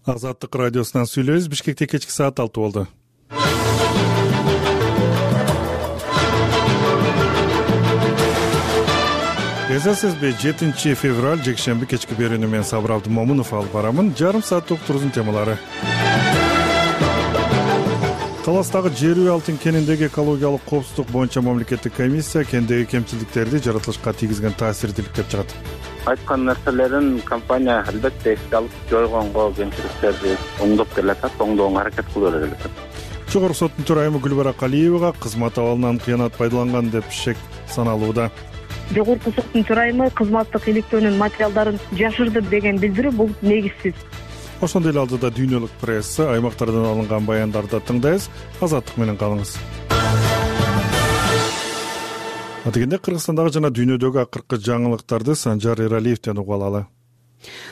Азаттык радиосунан сүйлөйбүз. Бишкекте кечки саат 6 болду. Эсесизби 7 февраль жекшемби кечки берүүнү мен Сабыр Абдымомунов алып барамын. Жарым сааттык турузун темалары. Таластагы жер үй алтын кениндеги экологиялык коопсуздук боюнча мамлекеттик комиссия кендеги кемчилдиктерди жаратылышка тийгизген таасирди иликтеп чыгат. Айткан нерселерин компания албетте эске алып, жойгонго кемчиликтерди оңдоп келатат, оңдоого аракет кылып келатат. Жогорку соттун төрайымы Гүлбарак Алиевага кызмат абалынан кыянат пайдаланган деп шек саналууда. Жогорку соттун төрайымы кызматтык иликтөөнүн материалдарын жашырды деген билдирүү бул негизсиз. Ошондой эле алдыда дүйнөлүк пресса аймактардан алынган баяндарды тыңдайбыз. Азаттык менен калыңыз. Атегенде Кыргызстандагы жана дүйнөдөгү акыркы жаңылыктарды Санжар Эралиевден угуп алалы.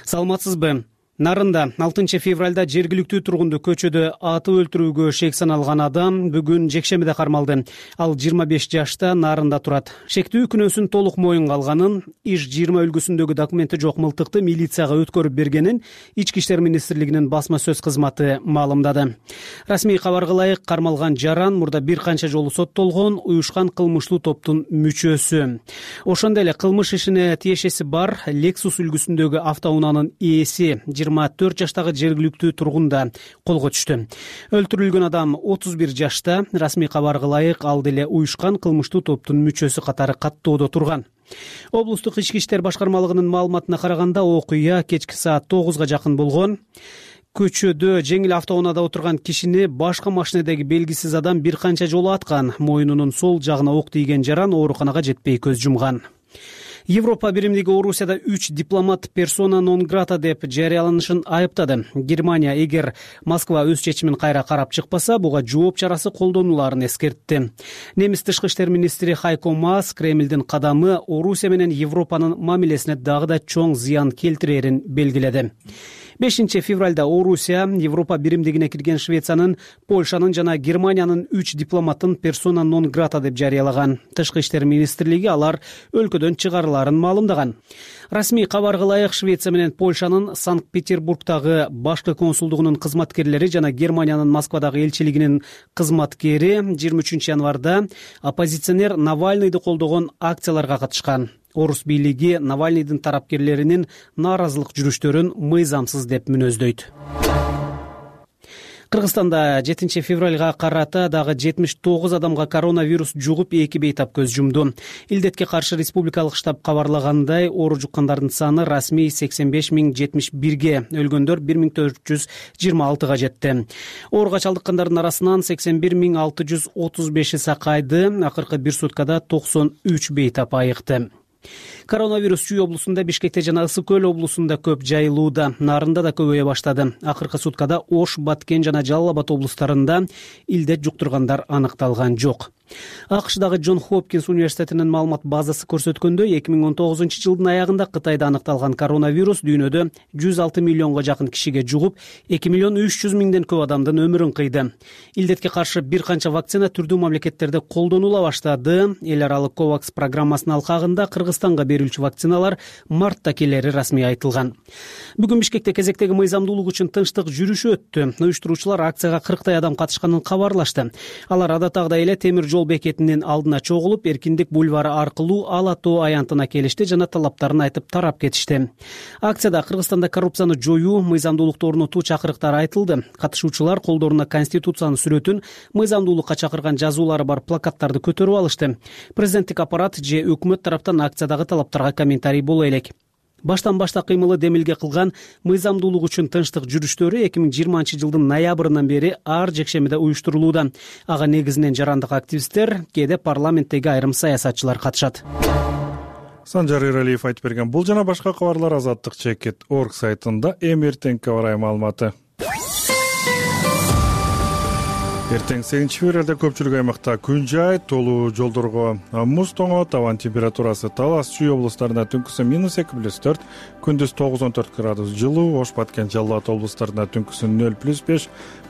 Саламатсызбы? Нарында 6 февралда жергиликтүү тургунду көчөдө атып өлтүрүүгө шек саналган адам бүгүн жекшембиде кармалды. Ал 25 жашта Нарында турат. Шектүү күнөөсүн толук моюнга алганын, ИШ-20 үлгүсүндөгү документи жок мылтыкты милицияга өткөрүп бергенин Ички иштер министрлигинин басма сөз кызматы маалымдады. Расмий кабарга ылайык кармалган жаран мурда бир канча жолу соттолгон уюшкан кылмыштуу топтун мүчөсү. Ошондой эле кылмыш ишине тиешеси бар Lexus үлгүсүндөгү автоунаанын ээси 24 жаштагы жергиликтүү тургун да колго түштү. Өлтүрүлгөн адам 31 жашта, расмий кабарга ылайык ал деле уюшкан кылмыштуу топтун мүчөсү катары каттоодо турган. Облустук ички иштер башкармалыгынын маалыматына караганда окуя кечки саат 9га жакын болгон. Көчөдө жеңил автоунаада отурган кишини башка машинедеги белгисиз адам бир канча жолу аткан. Мойнунун сол жагына ок тийген жаран ооруканага жетпей көз жумган. Европа биримдиги Орусияда 3 дипломат персона нон грата деп жарыяланышын айыптады. Германия эгер Москва өз чечимин кайра карап чыкпаса, буга жооп чарасы колдонуларын эскертти. Немис тышкы иштер министри Хайко Маас Кремлдин кадамы Орусия менен Европанын мамилесине дагы да чоң зыян келтирерин белгиледи. 5 февралда Орусия Европа биримдигине кирген Швециянын, Польшанын жана Германиянын 3 дипломатын персона нон грата деп жарыялаган. Тышкы иштер министрлиги алар өлкөдөн чыгарыларын маалымдаган. Расмий кабарга ылайык Швеция менен Польшанын Санкт-Петербургдагы башкы консулдугунун кызматкерлери жана Германиянын Москвадагы элчилигинин кызматкери 23 январда оппозиционер Навальныйды колдогон акцияларга катышкан. Орус бийлиги Навальныйдын тарапкерлеринин нааразылык жүрүштөрүн мыйзамсыз деп мүнөздөйт. Кыргызстанда 7 февралга карата дагы 79 адамга коронавирус жугуп 2 бейтап көз жумду. Илдетке каршы республикалык штаб кабарлагандай, оору жуккандардын саны расмий 85.071ге, өлгөндөр 1426га жетти. Ооруга чалдыккандардын арасынан 81.635 сакайды, акыркы бир суткада 93 бейтап айыкты. Коронавирус Чүй облусунда, Бишкекте жана Ысык Көл облусунда көп жайылууда, Нарында да көбөйө баштады. Акыркы суткада Ош, Баткен жана Жалал Абад облустарында илдет жуктургандар аныкталган жок. АКШдагы Джон Хопкинс университетинин маалымат базасы көрсөткөндөй, 2019 жылдын аягында Кытайда аныкталган коронавирус дүйнөдө 106 миллионго жакын кишиге жугуп, 2 миллион 300 миңден көп адамдын өмүрүн кыйды. Илдетке каршы бир канча вакцина түрдүү мамлекеттерде колдонула баштады. Эл аралык COVAX программасынын алкагында Кыргызстанга берилчү вакциналар мартта келери расмий айтылган. Бүгүн Бишкекте кезектеги мыйзамдуулук үчүн тынчтык жүрүшү өттү. Уюштуруучулар акцияга 40 адам катышканын кабарлашты. Алар адаттагыдай эле темир жол бекетинин алдына чогулуп, Эркиндик бульвары аркылуу Ала тоо аянтына келишти жана талаптарын айтып тарап кетишти. Акцияда Кыргызстанда коррупцияны жоюу, мыйзамдуулукту орнотуу чакырыктары айтылды. Катышуучулар колдоруна Конституциянын сүрөтүн, мыйзамдуулукка чакырган жазуулары бар плакаттарды көтөрүп алышты. Президенттик аппарат же өкмөт тараптан акциядагы талаптарга комментарий боло элек. Баштан башта кыймылы демилге кылган мыйзамдуулук үчүн тынчтык жүрүштөрү 2020 жылдын ноябрынан бери ар жекшемиде уюштурулууда. Ага негизинен жарандык активисттер, кээде парламенттеги айрым саясатчылар катышат. Санжар Эралиев айтып берген бул жана башка кабарлар Азаттык.org сайтында эртеңки карай маалыматы. Эртең 8-февралда көпчүлүк аймакта күн жай, толуу жолдорго муз тоңот, абанын температурасы Талас, Чүй облустарында түнкүсүн -2+4, күндүз 9-14 градус жылуу, Ош, Баткен, Жалал Абад облустарында түнкүсүн 0+5,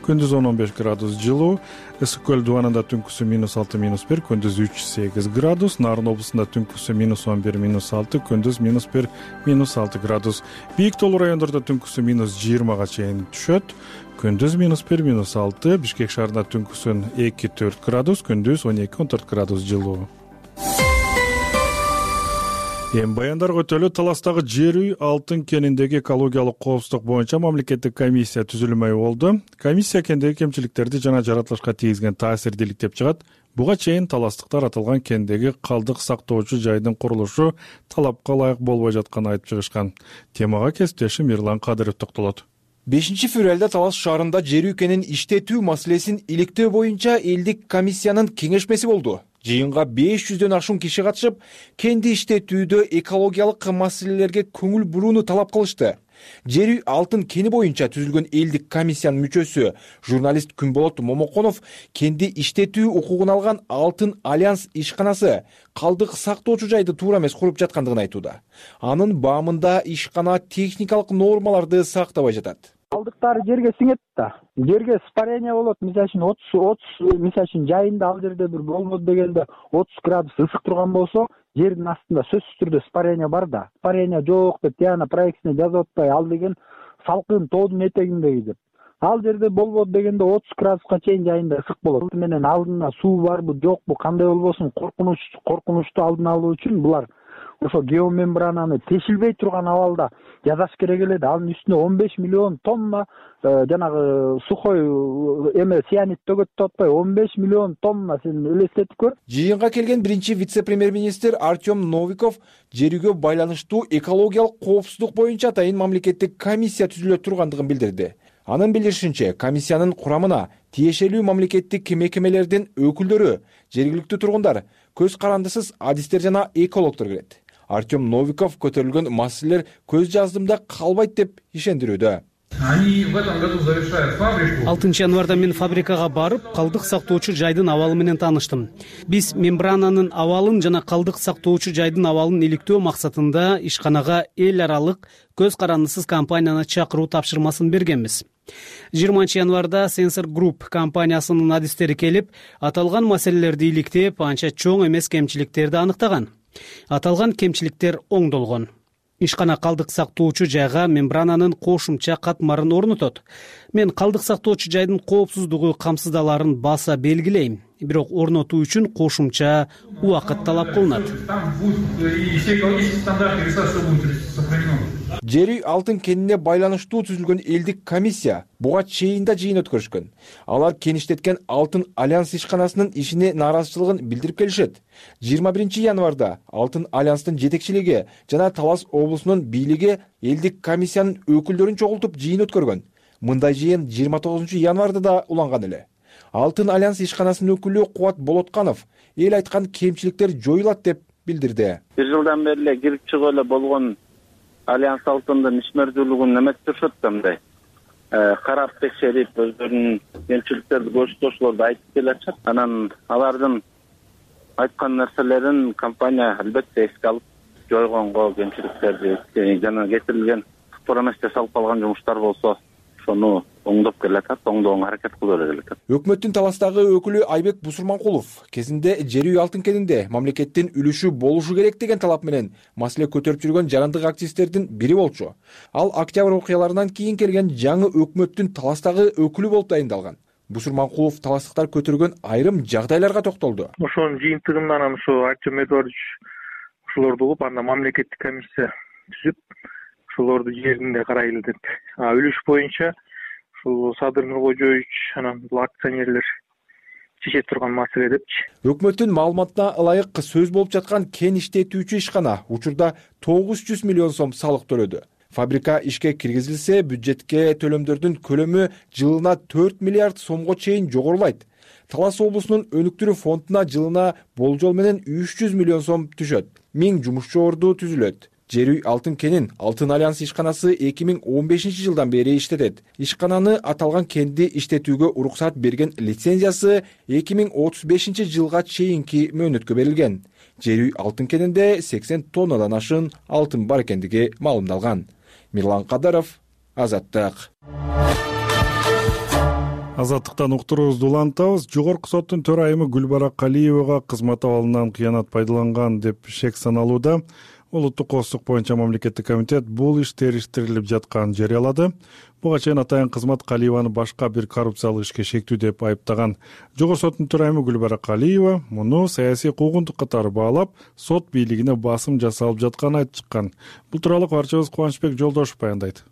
күндүз 10-15 градус жылуу, Ысык көл дубанында түнкүсүн -6-1, күндүз 3-8 градус, Нарын облусунда түнкүсүн -11-6, күндүз -1-6 градус. Бийик тоолуу райондордо түнкүсүн -20 чейин түшөт. Күндүз -1-6, Бишкек шаарында түнкүсүн 2-4 градус, күндүз 12-14 градус жылуу. Эми баяндарга өтөлү. Таластагы жер үй алтын кениндеги экологиялык коопсуздук боюнча мамлекеттик комиссия түзүлмөй болду. Комиссия кендеги кемчиликтерди жана жаратылышка тийгизген таасирди иликтеп чыгат. Буга чейин таластыктар аталган кендеги калдык сактоочу жайдын курулушу талапка ылайык болбой жатканын айтып чыгышкан. Темага кесиптешим Эрлан Кадыров токтолот. 5-февралда Талас шаарында жер үй кенин иштетүү маселесин иликтөө боюнча элдик комиссиянын кеңешмеси болду. Жыйынга 500дөн ашуун киши катышып, кенди иштетүүдө экологиялык маселелерге көңүл бурууну талап кылышты. Жер үй алтын кени боюнча түзүлгөн элдик комиссиянын мүчөсү журналист Күнболот Момоконов кенди иштетүү укугун алган Алтын Альянс ишканасы калдык сактоочу жайды туура эмес куруп жаткандыгын айтууда. Анын баамында ишкана техникалык нормаларды сактабай жатат. Калдыктары жерге сиңет да. Жерге испарение болот. Мисалы үчүн 30 жайында ал жерде бир болбоду дегенде 30 градус ысык турган болсо, жердин астында сөзсүз түрдө испарение бар да. Испарение жок деп тияна проектине жазып атпай, ал деген салкын тоодун этегиндеги деп. Ал жерде болбоду дегенде 30 градуска чейин жайында ысык болот. Менен алдына суу барбы, жокпу, кандай болбосун коркунучту алдын алуу үчүн булар ошо геомембрананы тешилбей турган абалда жасаш керек эле да. Анын үстүнө 15 миллион тонна жанагы сухой цианид төгөт деп атпай, 15 миллион тонна сен элестетип көр. Жыйынга келген биринчи вице-премьер-министр Артем Новиков жер үйгө байланыштуу экологиялык коопсуздук боюнча атайын мамлекеттик комиссия түзүлө тургандыгын билдирди. Анын билдиришинче, комиссиянын курамына тиешелүү мамлекеттик мекемелердин өкүлдөрү, жергиликтүү тургундар, көз карандысыз адистер жана экологдор кирет. Артем Новиков көтөрүлгөн маселелер көз жаздымда калбайт деп ишендирүүдө. Они в этом году завершают фабрику. 6 январда мен фабрикага барып, калдык сактоочу жайдын абалы менен тааныштым. Биз мембрананын абалын жана калдык сактоочу жайдын абалын иликтөө максатында ишканага эл аралык көз карандысыз компанияны чакыруу тапшырмасын бергенбиз. 20 январда Sensor Group компаниясынын адистери келип, аталган маселелерди иликтеп, анча чоң эмес кемчиликтерди аныктаган. Аталган кемчиликтер оңдолгон. Ишкана калдык сактоочу жайга мембрананын кошумча катмарын орнотот. Мен калдык сактоочу жайдын коопсуздугу камсыздаларын баса белгилейм. Бирок орнотуу үчүн кошумча убакыт талап кылынат. Жер үй алтын кенине байланыштуу түзүлгөн элдик комиссия буга чейин да жыйын өткөрүшкөн. Алар кен иштеткен Алтын Альянс ишканасынын ишине нааразычылыгын билдирип келишет. 21 январда Алтын Альянстын жетекчилиги жана Талас облусунун бийлиги элдик комиссиянын өкүлдөрүн чогултуп жыйын өткөргөн. Мындай жыйын 29 январда да уланган эле. Алтын Альянс ишканасынын өкүлү Кубат Болотканов эл айткан кемчиликтер жоюлат деп билдирди. Бир жылдан бери эле кирип чыгып эле болгон Альянс алтындын ишмердүүлүгүн эмес турушат да мындай. Карап текшерип, өздөрүнүн кемчиликтерди көрсөтүүлөрдү айтып келатышат. Анан алардын айткан нерселерин компания албетте эске алып, жойгонго кемчиликтерди жана кетирилген тура эмес жасалып калган жумуштар болсо, ошону оңдоп келатат, оңдоого аракет кылып келатат. Өкмөттүн Таластагы өкүлү Айбек Бусурманкулов кезинде жер үй алтын кенинде мамлекеттин үлүшү болушу керек деген талап менен маселе көтөрүп жүргөн жарандык активисттердин бири болчу. Ал октябрь окуяларынан кийин келген жаңы өкмөттүн Таластагы өкүлү болуп тайындалган. Бусурманкулов таластыктар көтөргөн айрым жагдайларга токтолду. Ошонун жыйынтыгынан анан ошо Артем Эдуардович ошолорду угуп, анда мамлекеттик комиссия түзүп, ошолорду жеринде карайлы деп. Үлүш боюнча Садыр Нуркожоевич анан бул акционерлер чече турган маселе депчи. Өкмөттүн маалыматына ылайык сөз болуп жаткан кен иштетүүчү ишкана учурда 900 миллион сом салык төлөдү. Фабрика ишке киргизилсе, бюджетке төлөмдөрдүн көлөмү жылына 4 миллиард сомго чейин жогорулайт. Талас облусунун өнүктүрүү фондуна жылына болжол менен 300 миллион сом түшөт. 1000 жумушчу орду түзүлөт. Жер үй Алтын кенин Алтын альянс ишканасы 2015-жылдан бери иштетет. Ишкананы аталган кенди иштетүүгө уруксат берген лицензиясы 2035-жылга чейинки мөөнөткө берилген. Жер үй Алтын кенинде 80 тоннадан ашын алтын бар экендиги маалымдалган. Мирлан Кадаров, Азаттык. Азаттыктан уктуруубузду улантабыз. Жогорку соттун төрайымы Гүлбара Калиевага кызмат абалынан кыянат пайдаланган деп шек саналууда. Улуттук коопсуздук боюнча мамлекеттик комитет бул иш териштирилип жатканын жарыялады. Буга чейин атайын кызмат Калиеваны башка бир коррупциялык ишке шектүү деп айыптаган. Жогорку соттун төрайымы Гүлбара Калиева муну саясий куугунтук катары баалап, сот бийлигине басым жасалып жатканын айтып чыккан. Бул тууралуу кабарчыбыз Кубанычбек Жолдошев баяндайт.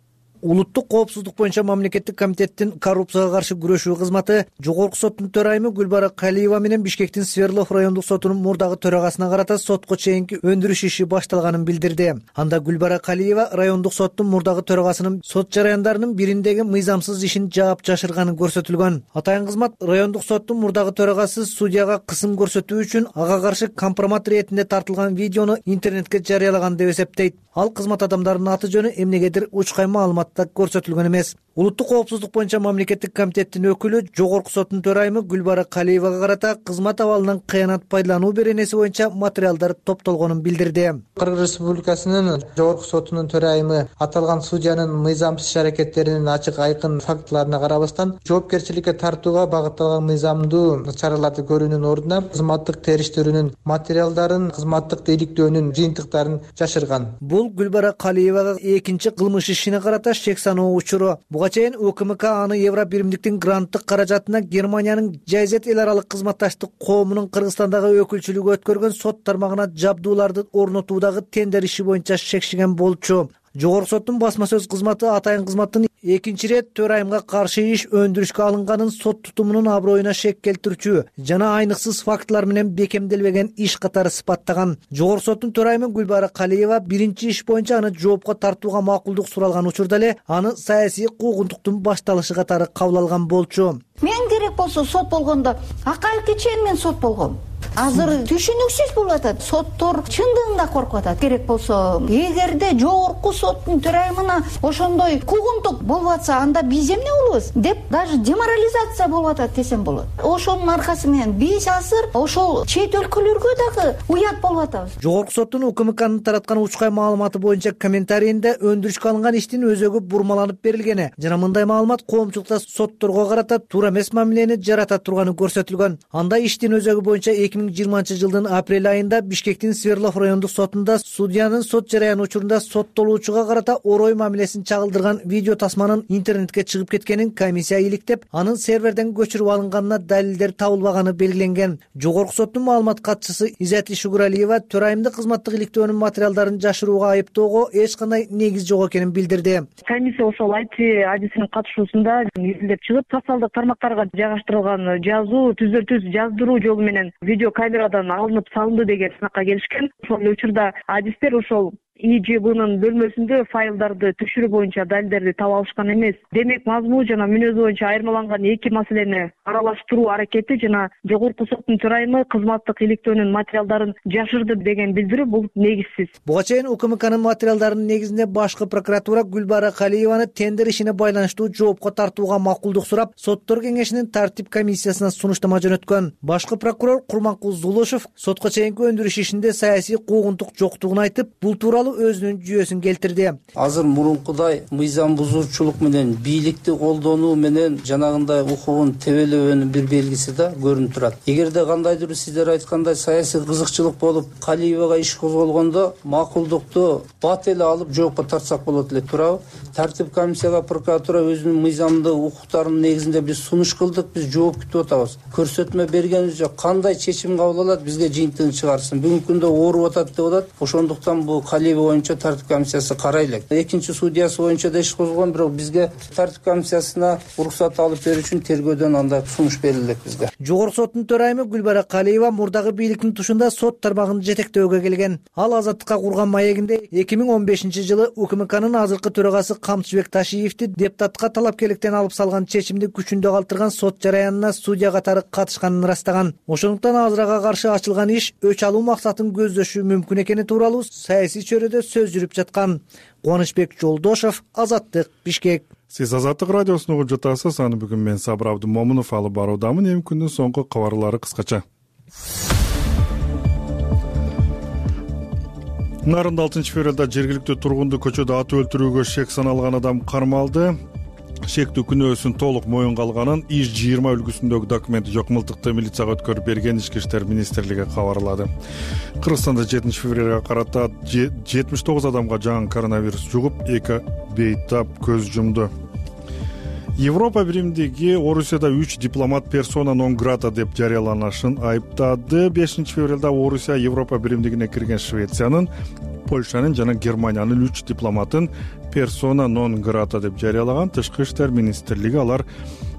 Улуттук коопсуздук боюнча мамлекеттик комитеттин коррупцияга каршы күрөшүү кызматы Жогорку соттун төрайымы Гүлбара Калиева менен Бишкектин Свердлов райондук сотунун мурдагы төрагасына карата сотко чейинки өндүрүш иши башталганын билдирди. Анда Гүлбара Калиева райондук соттун мурдагы төрагасынын сот жараяндарынын бириндеги мыйзамсыз ишин жаап жашырганы көрсөтүлгөн. Атайын кызмат райондук соттун мурдагы төрагасы судьяга кысым көрсөтүү үчүн ага каршы компромат иретинде тартылган видеону интернетке жарыялаган деп эсептейт. Ал кызмат адамдарынын аты жөнү эмнегедир учкай маалыматта көрсөтүлгөн эмес. Улуттук коопсуздук боюнча мамлекеттик комитеттин өкүлү Жогорку соттун төрайымы Гүлбара Калиевага карата кызмат абалынан кыянат пайдалануу беренеси боюнча материалдар топтолгонун билдирди. Кыргыз Республикасынын Жогорку сотунун төрайымы аталган судьянын мыйзамсыз иш аракеттеринин ачык айкын фактыларына карабастан жоопкерчиликке тартууга багытталган мыйзамдуу чараларды көрүүнүн ордуна кызматтык териштирүүнүн материалдарын, кызматтык иликтөөнүн жыйынтыктарын жашырган. Бул Гүлбара Калиевага экинчи кылмыш ишине карата шек саноо учуру. Буга чейин УКМК аны Евро биримдиктин гранттык каражатына Германиянын Жайзет эл аралык кызматташтык коомунун Кыргызстандагы өкүлчүлүгү өткөргөн сот тармагына жабдууларды орнотуудагы тендер иши боюнча шекшиген болчу. Жогорку соттун басма сөз кызматы атайын кызматтын экинчи ирет төрайымга каршы иш өндүрүшкө алынганын сот тутумунун аброюна шек келтирүүчү жана айныксыз фактылар менен бекемделбеген иш катары сыпаттаган. Жогорку соттун төрайымы Гүлбара Калиева биринчи иш боюнча аны жоопко тартууга макулдук суралган учурда эле аны саясий куугунтуктун башталышы катары кабыл алган болчу. Мен керек болсо сот болгондо акаевке чейин мен сот болгом. Азыр түшүнүксүз болуп атат. Соттор чындыгында коркуп атат. Керек болсо, эгерде Жогорку соттун төрайымына ошондой куугунтук болуп атса, анда биз эмне болобуз деп даже деморализация болуп атат десем болот. Ошонун аркасы менен биз азыр ошол чет өлкөлөргө дагы уят болуп атабыз. Жогорку соттун УКМКнын тараткан учкай маалыматы боюнча комментарийинде өндүрүшкө алынган иштин өзөгү бурмаланып берилгени жана мындай маалымат коомчулукта сотторго карата туура эмес мамилени жарата турганы көрсөтүлгөн. Анда иштин өзөгү боюнча 2020-жылдын апрель айында Бишкектин Свердлов райондук сотунда судьянын сот жараяны учурунда соттолуучуга карата орой мамилесин чагылдырган видео тасманын интернетке чыгып кеткенин комиссия иликтеп, анын серверден көчүрүп алынганына далилдер табылбаганы белгиленген. Жогорку соттун маалымат катчысы Изати Шугуралиева төрайымды кызматтык иликтөөнүн материалдарын жашырууга айыптоого эч кандай негиз жок экенин билдирди. Комиссия ошол IT адисинин катышуусунда изилдеп чыгып, социалдык тармактарга жайгаштырылган жазуу түзөтүү жаздыруу жолу менен видео камерадан алынып салынды деген сынакка келишкен. Ошол эле учурда адистер ошол ИЖБнын бөлмөсүндө файлдарды түшүрүү боюнча далилдерди таба алышкан эмес. Демек, мазмун жана мүнөзү боюнча айырмаланган эки маселени аралаштыруу аракети жана Жогорку соттун төрайымы кызматтык иликтөөнүн материалдарын жашырды деген билдирүү бул негизсиз. Буга чейин УКМКнын материалдарынын негизинде башкы прокуратура Гүлбара Калиеваны тендер ишине байланыштуу жоопко тартууга макулдук сурап, соттор кеңешинин тартип комиссиясына сунуштама жөнөткөн. Башкы прокурор Курманкул Зулушев сотко чейинки өндүрүш ишинде саясий куугунтук жоктугун айтып, бул тууралуу өзүнүн жүйөсүн келтирди. Азыр мурункудай мыйзам бузуучулук менен бийликти колдонуу менен жанагындай укугун тебелебөөнүн бир белгиси да көрүнүп турат. Эгерде кандайдыр сиздер айткандай саясий кызыкчылык болуп Калиевага иш козголгондо макулдукту бат эле алып жоопко тартсак болот эле, туурабы? Тартип комиссияга прокуратура өзүнүн мыйзамдуу укуктарынын негизинде биз сунуш кылдык, биз жооп күтүп атабыз. Көрсөтмө бергенибиз жок. Кандай чечим кабыл алат, бизге жыйынтыгын чыгарсын. Бүгүнкү күндө ооруп атат деп атат. Ошондуктан бул Калиева боюнча тартип комиссиясы карай элек. Экинчи судьясы боюнча да иш козголгон, бирок бизге тартип комиссиясына уруксат алып берүү үчүн тергөөдөн андай сунуш берилди бизге. Жогорку соттун төрайымы Гүлбара Калиева мурдагы бийликтин тушунда сот тармагын жетектөөгө келген. Ал Азаттыкка курган маегинде 2015-жылы УКМКнын азыркы төрагасы Камчыбек Ташиевди депутатка талапкерликтен алып салган чечимди күчүндө калтырган сот жараянына судья катары катышканын ырастаган. Ошондуктан азырага каршы ачылган иш өч алуу максатын көздөшү мүмкүн экени тууралуу саясий чөйрөдө сөз жүрүп жаткан. Кубанычбек Жолдошов, Азаттык, Бишкек. Сиз Азаттык радиосун угуп жатасыз. Аны бүгүн мен Сабыр Абдымомунов алып баруудамын. Эми күндүн соңку кабарлары кыскача. Нарында 6-февралда жергиликтүү тургунду көчөдө атып өлтүрүүгө шек саналган адам кармалды. Шектүү күнөөсүн толук моюнга алганын ИШ-20 үлгүсүндөгү документ жок мылтыкты милицияга өткөрүп берген Ички иштер министрлиги кабарлады. Кыргызстанда 7-февралга карата 79 адамга жаңы коронавирус жугуп, 2 бейтап көз жумду. Европа биримдиги Орусияда 3 дипломат персона нон грата деп жарыяланышын айыптады. 5-февралда Орусия Европа биримдигине кирген Швециянын, Польшанын жана Германиянын 3 дипломатын персона нон грата деп жарыялаган. Тышкы иштер министрлиги алар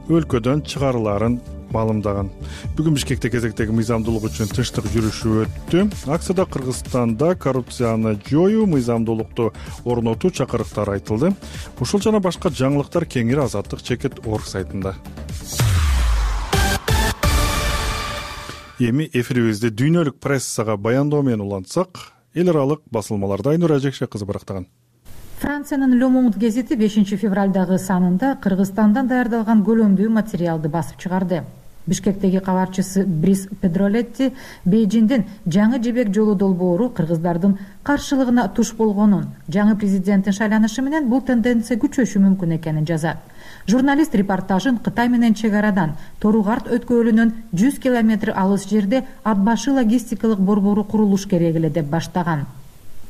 өлкөдөн чыгарыларын маалымдаган. Бүгүн Бишкекте кезектеги мыйзамдуулук үчүн тынчтык жүрүшү өттү. Акцияда Кыргызстанда коррупцияны жоюу, мыйзамдуулукту орнотуу чакырыктары айтылды. Ушул жана башка жаңылыктар кеңири Азаттык чекит орг сайтында. Эми эфирибизди дүйнөлүк прессага баяндоо менен улантсак, эл аралык басылмаларда Айнура Жекше кызы барактаган. Франциянын Le Monde гезити 5-февралдагы санында Кыргызстандан даярдалган көлөмдүү материалды басып чыгарды. Бишкектеги кабарчысы Брис Педролетти Бейжиңдин жаңы жибек жолу долбоору кыргыздардын каршылыгына туш болгонун, жаңы президенттин шайланышы менен бул тенденция күчөшү мүмкүн экенин жазат. Журналист репортажын Кытай менен чек арадан Торугарт өткөлүнөн 100 километр алыс жерде ат башы логистикалык борбору курулуш керек эле деп баштаган.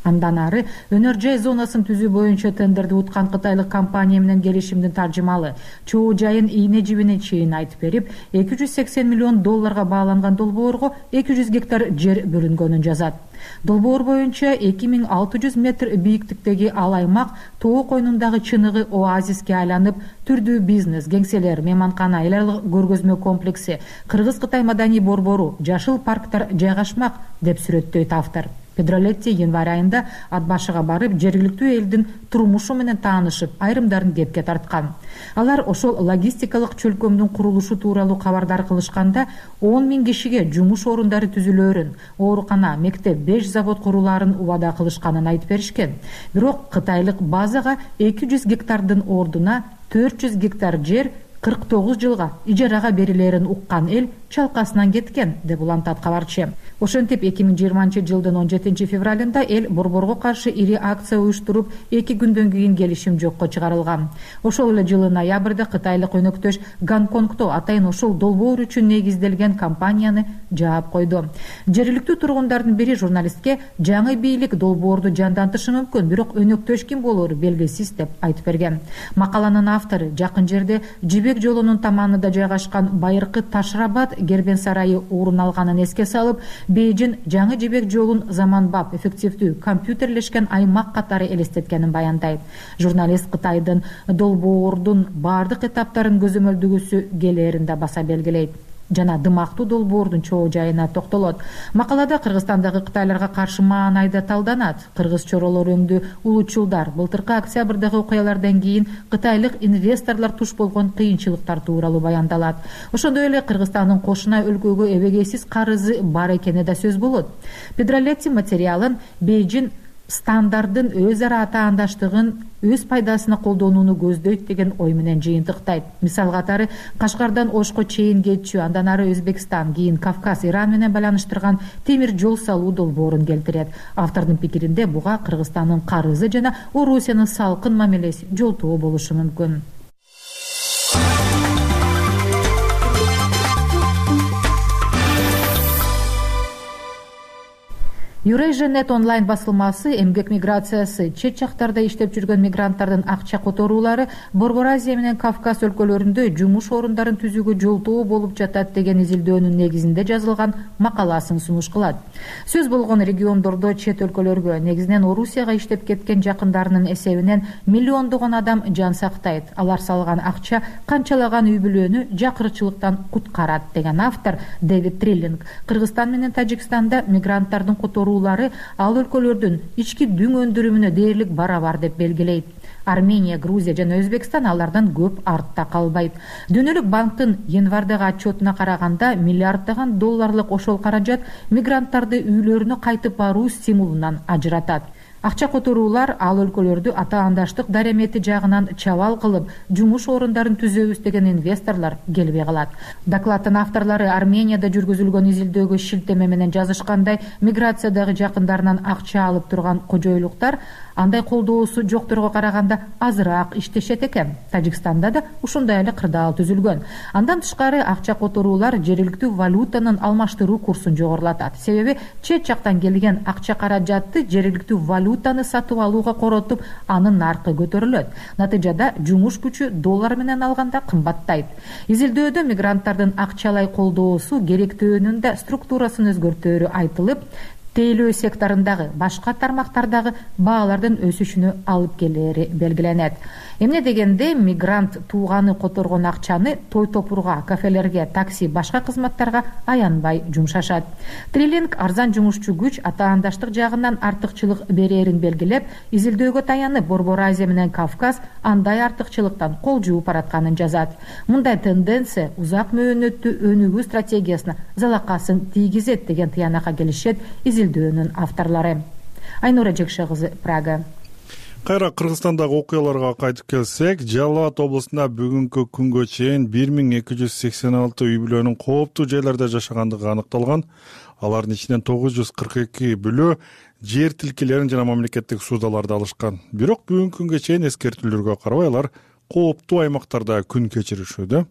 Андан ары өнөр жай зонасын түзүү боюнча тендерди уткан кытайлык компания менен келишимдин таржымалы чоо жайын ийне жибине чейин айтып берип, $280 миллион бааланган долбоорго 200 гектар жер бөлүнгөнүн жазат. Долбоор боюнча 2600 метр бийиктиктеги ал аймак тоо койнундагы чыныгы оазиске айланып, түрдүү бизнес, кеңселер, мейманкана, эл аралык көргөзмө комплекси, Кыргыз-Кытай маданий борбору, жашыл парктар жайгашмак деп сүрөттөйт автор. Педролетти январь айында ат башыга барып, жергиликтүү элдин турмушу менен таанышып, айрымдарын кепке тарткан. Алар ошол логистикалык чөлкөмдүн курулушу тууралуу кабардар кылышканда 10 000 кишиге жумуш орундары түзүлөөрүн, оорукана, мектеп, 5 завод курулаарын убада кылышканын айтып беришкен. Бирок кытайлык базага 200 гектардын ордуна 400 гектар жер 49 жылга ижарага берилерин уккан эл чалкасынан кеткен деп улантат кабарчы. Ошентип 2020 жылдын 17 февралында эл борборго каршы ири акция уюштуруп, 2 күндөн кийин келишим жокко чыгарылган. Ошол эле жылы ноябрда кытайлык өнөктөш Гонконгдо атайын ошол долбоор үчүн негизделген компанияны жаап койду. Жергиликтүү тургундардын бири журналистке жаңы бийлик долбоорду жандантышы мүмкүн, бирок өнөктөш ким болору белгисиз деп айтып берген. Макаланын автору жакын жерде жибек жолунун таманында жайгашкан байыркы Ташрабад Гербен сарайы орун алганын эске салып, Бейжиң жаңы жибек жолун заманбап, эффективдүү, компьютерлешкен аймак катары элестеткенин баяндайт. Журналист Кытайдын долбоордун бардык этаптарын көзөмөлдөгүсү келээрин да баса белгилейт жана дымактуу долбоордун чоо жайына токтолот. Макалада Кыргызстандагы кытайларга каршы маанай да талданат. Кыргыз чоролор өңдүү улуучулдар былтыркы октябрдагы окуялардан кийин кытайлык инвесторлор туш болгон кыйынчылыктар тууралуу баяндалат. Ошондой эле Кыргызстандын кошуна өлкөгө эбегейсиз карызы бар экени да сөз болот. Педролетти материалын Бейжиң стандардын өз ара атаандаштыгын өз пайдасына колдонууну көздөйт деген ой менен жыйынтыктайт. Мисал катары Кашкардан Ошко чейин кетчү, андан ары Өзбекстан, кийин Кавказ, Иран менен байланыштырган темир жол салуу долбоорун келтирет. Автордун пикиринде буга Кыргызстандын карызы жана Орусиянын салкын мамилеси жолтоо болушу мүмкүн. Eurasia.net онлайн басылмасы эмгек миграциясы, чет жактарда иштеп жүргөн мигранттардын акча которуулары Борбор Азия менен Кавказ өлкөлөрүндө жумуш орундарын түзүүгө жолтоо болуп жатат деген изилдөөнүн негизинде жазылган макаласын сунуш кылат. Сөз болгон региондордо чет өлкөлөргө, негизинен Орусияга иштеп кеткен жакындарынын эсебинен миллиондогон адам жан сактайт. Алар салган акча канчалаган үй бүлөнү жакырчылыктан куткарат деген автор Дэвид Триллинг Кыргызстан менен Тажикстанда мигранттардын которуу ал өлкөлөрдүн ички дүң өндүрүмүнө дээрлик барабар деп белгилейт. Армения, Грузия жана Өзбекстан алардан көп артта калбайт. Дүйнөлүк банктын январдагы отчетуна караганда $миллиарддаган ошол каражат мигранттарды үйлөрүнө кайтып баруу стимулунан ажыратат. Акча которуулар ал өлкөлөрдү атаандаштык даремети жагынан чабал кылып, жумуш орундарын түзөбүз деген инвесторлор келбей калат. Докладдын авторлору Арменияда жүргүзүлгөн изилдөөгө шилтеме менен жазышкандай, миграциядагы жакындарынан акча алып турган кожойлуктар андай колдоосу жокторго караганда азыраак иштешет экен. Тажикстанда да ушундай эле кырдаал түзүлгөн. Андан тышкары акча которуулар жергиликтүү валютанын алмаштыруу курсун жогорулатат. Себеби чет жактан келген акча каражатты жергиликтүү валютаны сатып алууга коротуп, анын наркы көтөрүлөт. Натыйжада жумуш күчү доллар менен алганда кымбаттайт. Изилдөөдө мигранттардын акчалай колдоосу керектөөнүн да структурасын өзгөртөөрү айтылып, тейлөө секторундагы башка тармактардагы баалардын өсүшүнө алып келери белгиленет. Эмне дегенде мигрант тууганы которгон акчаны той топурга, кафелерге, такси, башка кызматтарга аянбай жумшашат. Трилинг арзан жумушчу күч атаандаштык жагынан артыкчылык берерин белгилеп, изилдөөгө таянып Борбор Азия менен Кавказ андай артыкчылыктан кол жууп баратканын жазат. Мындай тенденция узак мөөнөттүү өнүгүү стратегиясына залакасын тийгизет деген тыянакка келишет изилдөөнүн авторлору. Айнура Жекше кызы, Прага. Кайра Кыргызстандагы окуяларга кайтып келсек, Жалал Абад облусунда бүгүнкү күнгө чейин 1286 үй бүлөнүн кооптуу жайларда жашагандыгы аныкталган. Алардын ичинен 942 бүлө жер тилкелерин жана мамлекеттик суудаларды алышкан. Бирок бүгүнкү күнгө чейин эскертүүлөргө карабай алар кооптуу аймактарда күн кечиришүүдө.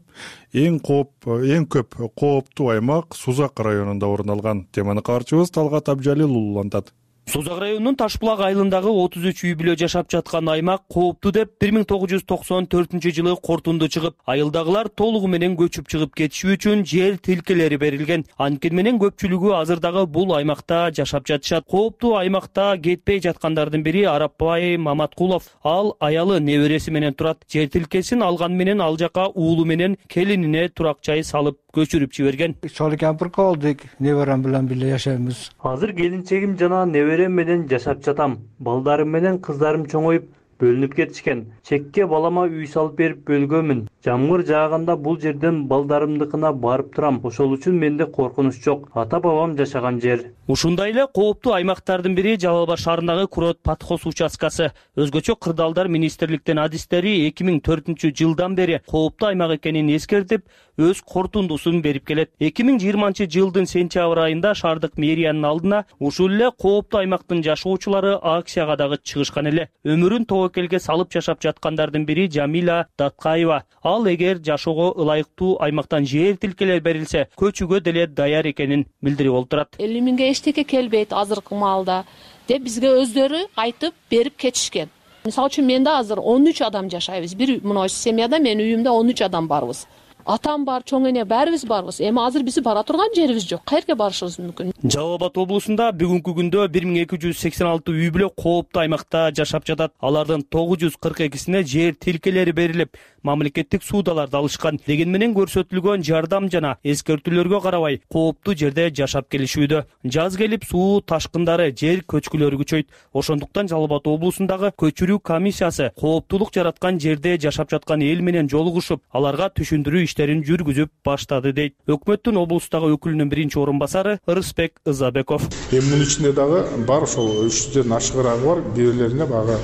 Эң көп кооптуу аймак Сузак районунда орун алган. Теманы каарчыбыз Талгат Абжалил улантат. Сузак районунун Ташбулак айылындагы 33 үй бүлө жашап жаткан аймак кооптуу деп 1994-жылы кортунду чыгып, айылдагылар толугу менен көчүп чыгып кетиши үчүн жер тилкелери берилген. Анткени менен көпчүлүгү азырдагы бул аймакта жашап жатышат. Кооптуу аймакта кетпей жаткандардын бири Арапбай Маматкулов. Ал аялы небереси менен турат. Жер тилкесин алган менен ал жака уулу менен келинине турак жай салып көчүрүп жиберген. Чоң кампырка болдук, неберем менен бирге жашайбыз. Азыр келинчегим жана неберем менен жашап жатам. Балдарым менен кыздарым чоңоюп бөлүнүп кетишкен. Чекке балама үй салып берип бөлгөмүн. Жамгыр жааганда бул жерден балдарымдыкына барып турам. Ошол үчүн менде коркунуч жок. Ата бабам жашаган жер. Ушундай эле кооптуу аймактардын бири Жалал Абад шаарындагы Курот Патхос участкасы. Өзгөчө кырдаалдар министрликтин адистери 2004-жылдан бери кооптуу аймак экенин эскертип, өз кортундусун берип келет. 2020-жылдын сентябрь айында шаардык мэриянын алдына ушул эле кооптуу аймактын жашоочулары акцияга дагы чыгышкан эле. Өмүрүн тобокелге салып жашап жаткандардын бири Жамила Даткаева. Ал эгер жашоого ылайыктуу аймактан жер тилкелер берилсе, көчүүгө деле даяр экенин билдирип олтурат. 50 миңге эчтеке келбейт азыркы маалда деп бизге өздөрү айтып берип кетишкен. Мисалы үчүн менде азыр 13 адам жашайбыз. Бир мына семьяда менин үйүмдө 13 адам барбыз. Атам бар, чоң эне баарыбыз барбыз. Эми азыр биз бара турган жерибиз жок. Каерге барышыбыз мүмкүн? Жалал Абад облусунда бүгүнкү күндө 1286 үй бүлө кооптуу аймакта жашап жатат. Алардын 942сине жер тилкелери берилип, мамлекеттик суудаларды алышкан. Деген менен көрсөтүлгөн жардам жана эскертүүлөргө карабай кооптуу жерде жашап келишүүдө. Жаз келип суу ташкындары, жер көчкүлөрү күчөйт. Ошондуктан Жалал Абад облусундагы көчүрүү комиссиясы кооптуулук жараткан жерде жашап жаткан эл менен жолугушуп, аларга түшүндүрүү иштерин жүргүзүп баштады дейт. Өкмөттүн облустагы өкүлүнүн биринчи орун басары Рысбек Ызабеков. Мунун ичинде дагы бар ошол 300дөн ашыгыраагы бар. Бирлерине багы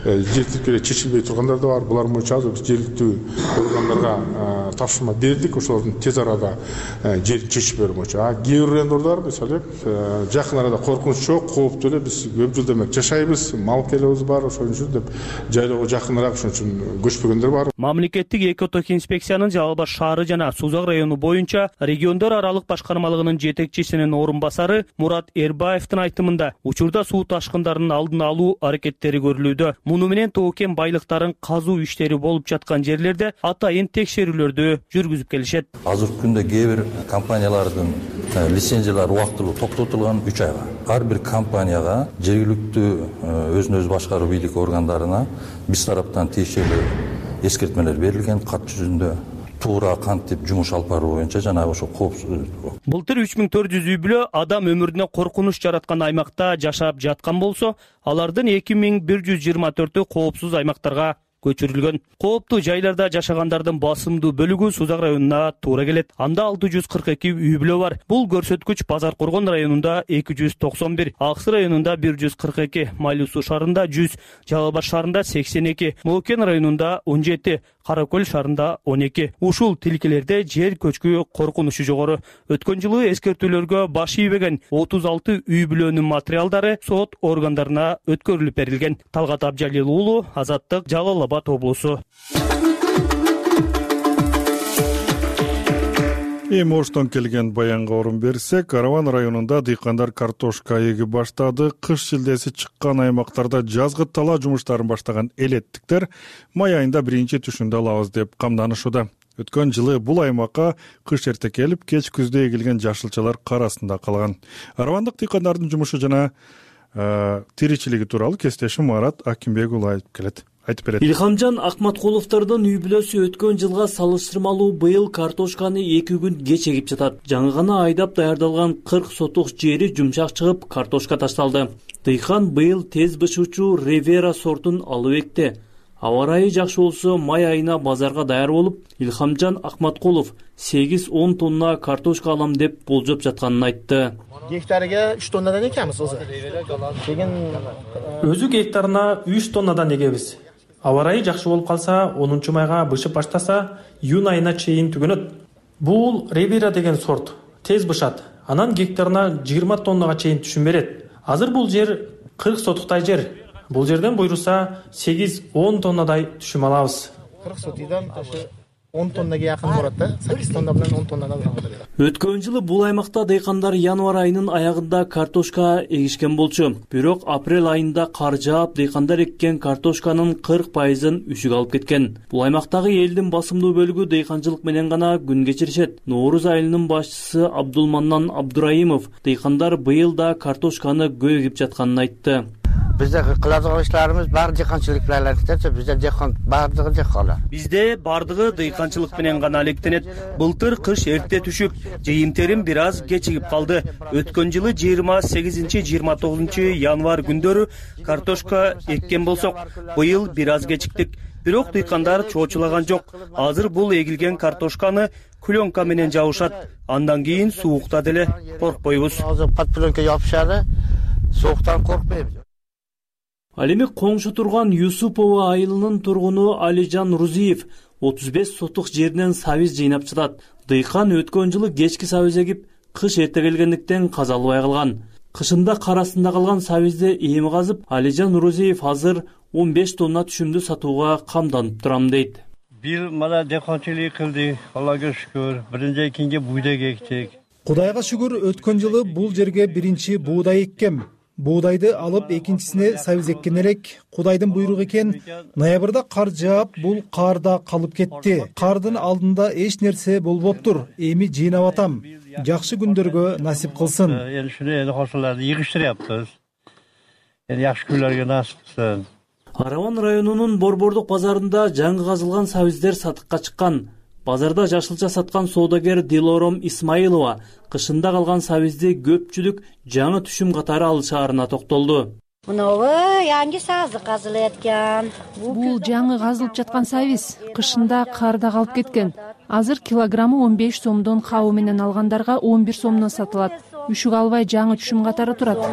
жер тилкелери чечилбей тургандар да бар. Булар боюнча азыр жергиликтүү органдарга тапшырма бердик. Ошолордун тез арада жерин чечип берүү боюнча. Кээ бир райондордор мисалы жакын арада коркунуч жок, кооптуу эле биз көп жыл демек жашайбыз, мал келебиз бар, ошон үчүн деп жайлоого жакыныраак ошон үчүн көчпөгөндөр бар. Мамлекеттик экоток инспекциянын Жалал Абад шаары жана Сузак району боюнча региондор аралык башкармалыгынын жетекчисинин орун басары Мурат Эрбаевдин айтымында учурда суу ташкындарынын алдын алуу аракеттери көрүлүүдө. Муну менен тоо-кен байлыктарын казуу иштери болуп жаткан жерлерде атайын текшерүүлөрдү жүргүзүп келишет. Азыркы күндө кээ бир компаниялардын лицензиялары убактылуу токтотулган 3 айга. Ар бир компанияга жергиликтүү өзүн өзү башкаруу бийлик органдарына биз тараптан тиешелүү эскертмелер берилген, кат жүзүндө туура кантип жумуш алып баруу боюнча жана ошо коопсуздук. Былтыр 3400 үй бүлө адам өмүрүнө коркунуч жараткан аймакта жашап жаткан болсо, алардын 2124-ü коопсуз аймактарга көчүрүлгөн. Кооптуу жайларда жашагандардын басымдуу бөлүгү Сузак районуна туура келет. Анда 642 үй бүлө бар. Бул көрсөткүч Базар Коргон районунда 291, Аксы районунда 142, Майлуу Суу шаарында 100, Жалал Баш шаарында 82, Моокен районунда 17, Кара Көл шаарында 12. Ушул тилкелерде жер көчкү коркунучу жогору. Өткөн жылы эскертүүлөргө баш ийбеген 36 үй бүлөнүн материалдары сот органдарына өткөрүлүп берилген. Талгат Абжалил уулу, Азаттык, Жалал Абад облусу. Эми Оштон келген баянга орун берсек, Караван районунда дыйкандар картошка эги баштады. Кыш шилдеси чыккан аймактарда жазгы талаа жумуштарын баштаган элеттиктер май айында биринчи түшүндө алабыз деп камданышууда. Өткөн жылы бул аймакка кыш эрте келип, кеч күздө эгилген жашылчалар кар астында калган. Каравандык дыйкандардын жумушу жана тиричилиги тууралуу кесиптешим Марат Акимбек уулу айтып берет. Илхамжан Акматкуловдордун үй бүлөсү өткөн жылга салыштырмалуу быйыл картошканы 2 күн кеч эгип жатат. Жаңы гана айдап даярдалган 40 сотук жери жумшак чыгып, картошка ташталды. Дыйкан быйыл тез бышуучу Ривера сортун алып экти. Аба ырайы жакшы болсо, май айына базарга даяр болуп, Илхамжан Акматкулов 8-10 тонна картошка алам деп болжоп жатканын айтты. Гектарга 3 тоннадан экебиз өзү. Өзү гектарына 3 тоннадан эгебиз. Аба ырайы жакшы болуп калса, 10 майга бышып баштаса, июнь айына чейин түгөнөт. Бул Ривера деген сорт тез бышат. Анан гектарына 20 тоннага чейин түшүм берет. Азыр бул жер 40 сотуктай жер. Бул жерден буйруса 8-10 тоннадай түшүм алабыз. 40 сотудан 10 тоннага якын барат да. 8 тонна менен 10 тоннадан барат. Өткөн жылы бул аймакта дыйкандар январь айынын аягында картошка эгишкен болчу. Бирок апрель айында кар жаап, дыйкандар эккен картошканын 40%-ын үшүк алып кеткен. Бул аймактагы элдин басымдуу бөлүгү дыйканчылык менен гана күн кечиришет. Нооруз айылынын башчысы Абдулманнан Абдураимов дыйкандар быйыл да картошканы көп эгип жатканын айтты. Бизде кылadigan иштерибиз баары дыйканчылык менен алектенет. Бизде дыйкан баардыгы дыйкандар. Бизде баардыгы дыйканчылык менен гана алектенет. Былтыр кыш эрте түшүп, жыйын-терим бир аз кечигип калды. Өткөн жылы 28-29 январь күндөрү картошка эккен болсок, быйыл бир аз кечиктик. Бирок дыйкандар чоочулаган жок. Азыр бул эгилген картошканы пленка менен жабышат. Андан кийин суукта деле коркпойбуз. Азыр пленка жапышады. Сууктан коркпойбуз. Ал эми коңшу турган Юсупова айылынын тургуну Алижан Рузиев 35 сотук жеринен сабиз жыйнап жатат. Дыйкан өткөн жылы кечки сабиз эгип, кыш эрте келгендиктен каза албай калган. Кышында кар астында калган сабизди эми казып, Алижан Рузиев азыр 15 тонна түшүмдү сатууга камданып турам дейт. Бир мана дыйканчылык кылдык, Аллага шүгүр. Биринчи экинчи буудай эктик. Кудайга шүгүр, өткөн жылы бул жерге биринчи буудай эккем. Буудайды алып экинчисине сабиз эккен элек. Кудайдын буйругу экен. Ноябрда кар жаап, бул карда калып кетти. Кардын алдында эч нерсе болбоптур. Эми жыйнап атам. Жакшы күндөргө насип кылсын. Эми шуну кошуларды йыгыштырыппыз. Жакшы күнлөргө насип кылсын. Араван районунун Борбордук базарында жаңы казылган сабиздер сатыкка чыккан. Базарда жашылча саткан соодагер Дилором Исмаилова кышында калган сабизди көпчүлүк жаңы түшүм катары алышаарына токтолду. Мынабу yangi сабыз казылып эткен. Бул жаңы казылып жаткан сабиз кышында карда калып кеткен. Азыр килограммы 15 сомдон хабы менен алгандарга 11 сомдон сатылат. Үшүк албай жаңы түшүм катары турат.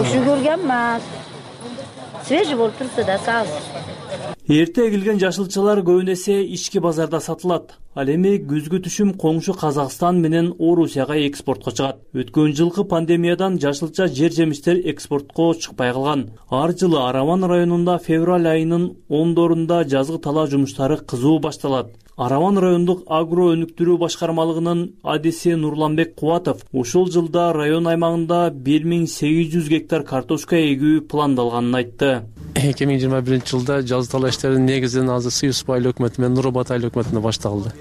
Үшүк көргөн эмес. Свежий болуп турса да сабыз. Эрте эгилген жашылчалар көбүн эсе ички базарда сатылат. Ал эми күзгү түшүм коңшу Казакстан менен Орусияга экспортко чыгат. Өткөн жылкы пандемиядан жашылча жер жемиштер экспортко чыкпай калган. Ар жылы Араван районунда февраль айынын 10-дорунда жазгы талаа жумуштары кызуу башталат. Араван райондук агро өнүктүрүү башкармалыгынын адиси Нурланбек Кубатов ушул жылда район аймагында 1800 гектар картошка эгүү пландалганын айтты. 2021 жылда жазгы талаа иштери негизинен азыр Сыйысып айыл өкмөтү менен Нурбат айыл өкмөтүндө башталды.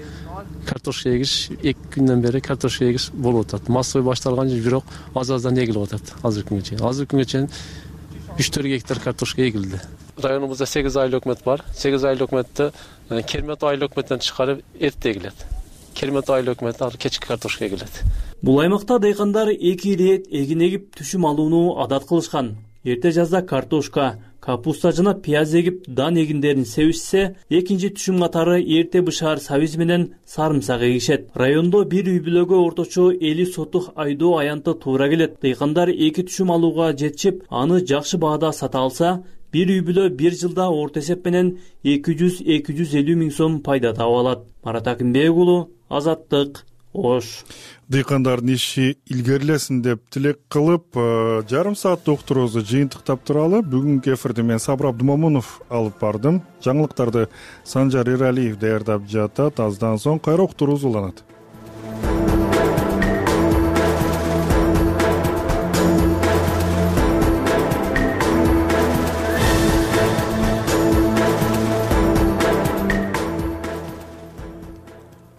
Картошка эгиш 2 күндөн бери картошка эгиш болуп атат. Массовый башталган жок, бирок аз-аздан эгилип атат азыркы күнгө чейин. Азыркы күнгө чейин 3-4 гектар картошка эгилди. Районубузда 8 айыл өкмөт бар. 8 айыл өкмөттө Кермет айыл өкмөтүнөн тышкары эрте эгилет. Кермет айыл өкмөтү ар кечки картошка эгилет. Бул аймакта дыйкандар 2 ирет эгин эгип түшүм алууну адат кылышкан. Эрте жазда картошка капуста жана пияз эгип дан эгиндерин себишсе, экинчи түшүм катары эрте бышаар сабиз менен сарымсак эгишет. Райондо бир үй бүлөгө орточо 50 сотук айдоо аянты туура келет. Дыйкандар эки түшүм алууга жетишип, аны жакшы баада сата алса, бир үй бүлө бир жылда орто эсеп менен 200-250 миң сом пайда таап алат. Марат Акимбек уулу, Азаттык, Ош. Дыйкандардын иши илгерилесин деп тилек кылып, жарым сааттык уктуруубузду жыйынтыктап туралы. Бүгүнкү эфирди мен Сабыр Абдымомунов алып бардым. Жаңылыктарды Санжар Эралиев даярдап жатат. Аздан соң кайра уктуруубуз уланат.